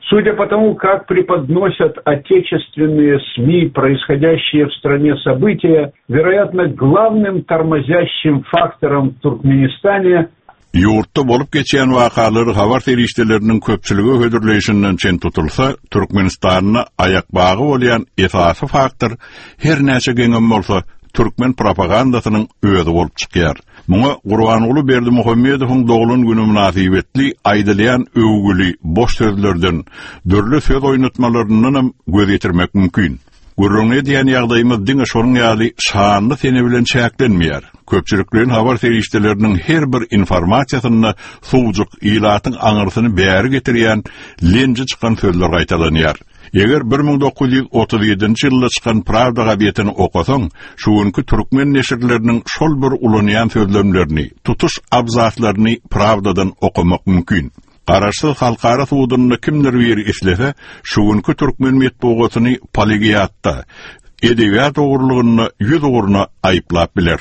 Судя по тому, как преподносят отечественные СМИ происходящие в стране события, вероятно, главным тормозящим фактором в Туркменистане Ýurtda bolup geçýän wakalary habar serişdeleriniň köpçülige hödürleýşinden çen tutulsa, Türkmenistanda aýakbagy bolýan esasy faktor, her näçe geňem bolsa, türkmen propagandasynyň özi bolup çykýar. Muňa Gurbanguly Berdimuhamedowyň doglan güni mynasybetli aýdylýan öwgüli boş sözlerden, dürli söz oýnatmalaryndanam göz ýetirmek mümkin. Gürrüňini edýän ýagdaýymyz diňe şonuň ýaly şanly sene bilen çäklenmeýär. Köpçülikleýin habar serişdeleriniň her bir informasiýasynda suwjuk, ilatyň aňyrsyny bäri getirýän lenji çykan sözler gaýtalanýar. Eger 1937-nji ýylda çykan Prawda gazetini okasaň, şu günki türkmen neşirleriniň şol bir ulanýan sözlemlerini, tutuş abzaslaryny Prawdadan okamak mümkin. Garaşsyz halkara sudunda kimdir biri islese, şu günki türkmen metbugatyny plagiatda, edebiýat ogurlygynda ýüz ugruna aýyplap biler.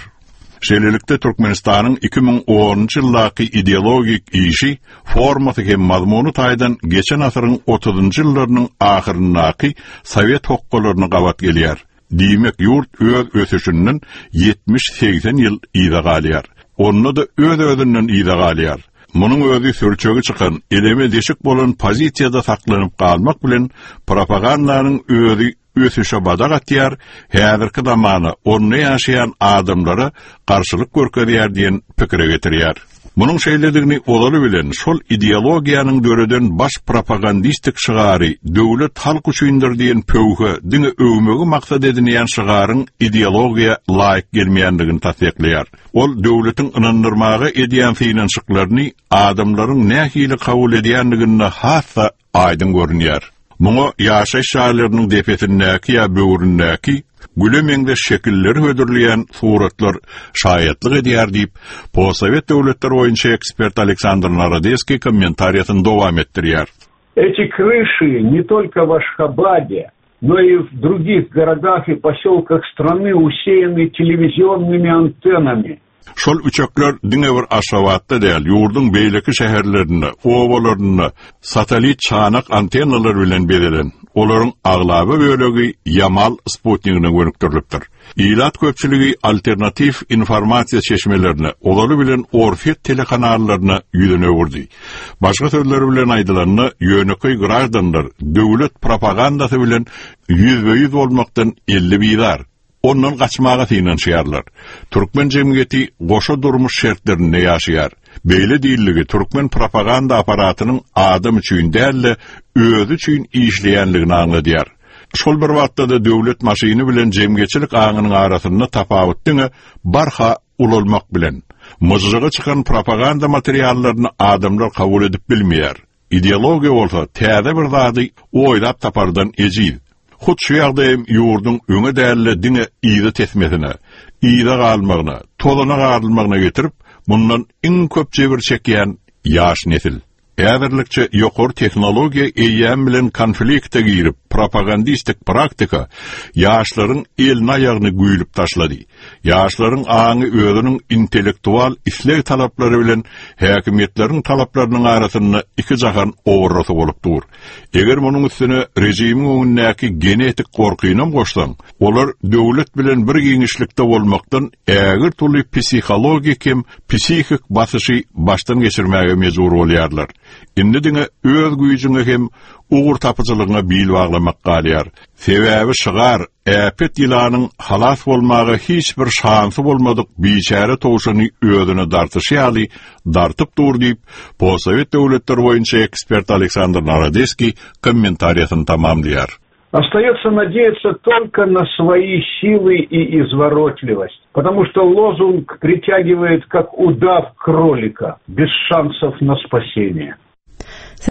Şeýlelikde, Türkmenistanyň 2010-njy ýyldaky ideologik işi formasy hem mazmuny taýdan geçen asyryň otuzynjy ýyllarynyň ahyryndaky sowet hokgalaryna gabat gelýär. Diýmek, ýurt öz ösüşinden ýetmiş-segsen ýyl yza galýar. Onda-da öz-özünden yza galýar. Munuň özi sürçegi çykan, eleme deşik bolan pozisiýada saklanyp galmak bilen, propagandanyň özi ösüşe badak atýar, häzirki zamana, onda ýaşaýan adamlara garşylyk görkezýär diýen pikire getirýär. Munuň şeýledigini ozaly bilen şol ideologiýanyň döreden baş propagandistik şygary Döwlet halk üçindir diýen pöwhe diňe öwmegi maksat edinýän şygaryň ideologiýa laýyk gelmeýändigini tassyklaýar. Ol döwletiň ynandyrmaga edýän synanyşyklaryny adamlaryň nähili kabul edýändiginde has-da aýdyň görünýär. Muňa ýaşaýyş jaýlarynyň depesindäki ýa böwründäki güle meňzeş şekilleri hödürleýän suratlar şaýatlyk edýär diýip, postsowet döwletleri boýunça ekspert Aleksandr Narodeskiý kommentariýasyny dowam etdirýär. Эти крыши не только в Ашхабаде, но и в других городах и поселках страны усеяны телевизионными антеннами. Şol üçekler diňe bir Aşgabatda däl, ýurduň beýleki şäherlerinde, obalarynda satellit çanak antennalar bilen bezelen. Olaryň aglaba bölegi Ýamal sputnigine gönükdirilipdir. Ilat köpçüligi alternatiw informasiýa çeşmelerine, ozaly bilen orsýet telekanallaryna ýüzüni öwürdi. Başga sözler bilen aýdylanda, ýönekeý graždanlar döwlet propagandasy bilen ýüzbe-ýüz bolmakdan elli bizar. Ondan gaçmaga synanyşýarlar. Türkmen jemgyýeti goşa durmuş şertlerinde ýaşaýar. Beýle diýildigi türkmen propaganda apparatynyň adam üçin däl-de, özi üçin işleýänligini aňladýar. Şol bir wagtda-da döwlet maşyny bilen jemgyýetçilik aňynyň arasynda tapawut diňe barha ulalmak bilen. Myžžygy çykan propaganda materiallaryny adamlar kabul edip bilmeýär. Ideologiýa bolsa täze bir zady oýlap tapardan ejiz. Hut şu ýagdaýam ýurduň öňe däl-de diňe yza tesmesine, yza galmagyna, tozana garylmagyna getirip, mundan iň köp jebir çekýän ýaş nesil. Häzirlikçe ýokary tehnologiýa eýýäm bilen konflikte girip, propagandistik praktika ýaşlaryň elini-aýagyny güýlüp taşlady. Ýaşlaryň aňy özüniň intellektual isleg-talaplary bilen häkimiýetleriň talaplarynyň arasynda iki jahan owarrasy bolup dur. Eger munuň üstüne režimiň öňündäki genetik gorkynam goşsaň, olar döwlet bilen bir giňişlikde bolmakdan ägirt uly psihologik hem psihik basyşy başdan geçirmäge mejbur bolýarlar. Indi diňe öz güýjüňe hem ugurtapyjylygyňa bil baglamak galýar. Sebäbi şygar Äpet ýylanyň halas bolmaga hiç bir şansy bolmadyk biçäre towşany özüne dartyşy ýaly dartyp dur diýip, postsowet döwletleri boýunça ekspert Aleksandr Narodeskiý kommentariýasyny tamamlaýar. Остается надеяться только на свои силы и изворотливость, потому что лозунг притягивает как удав кролика, без шансов на спасение.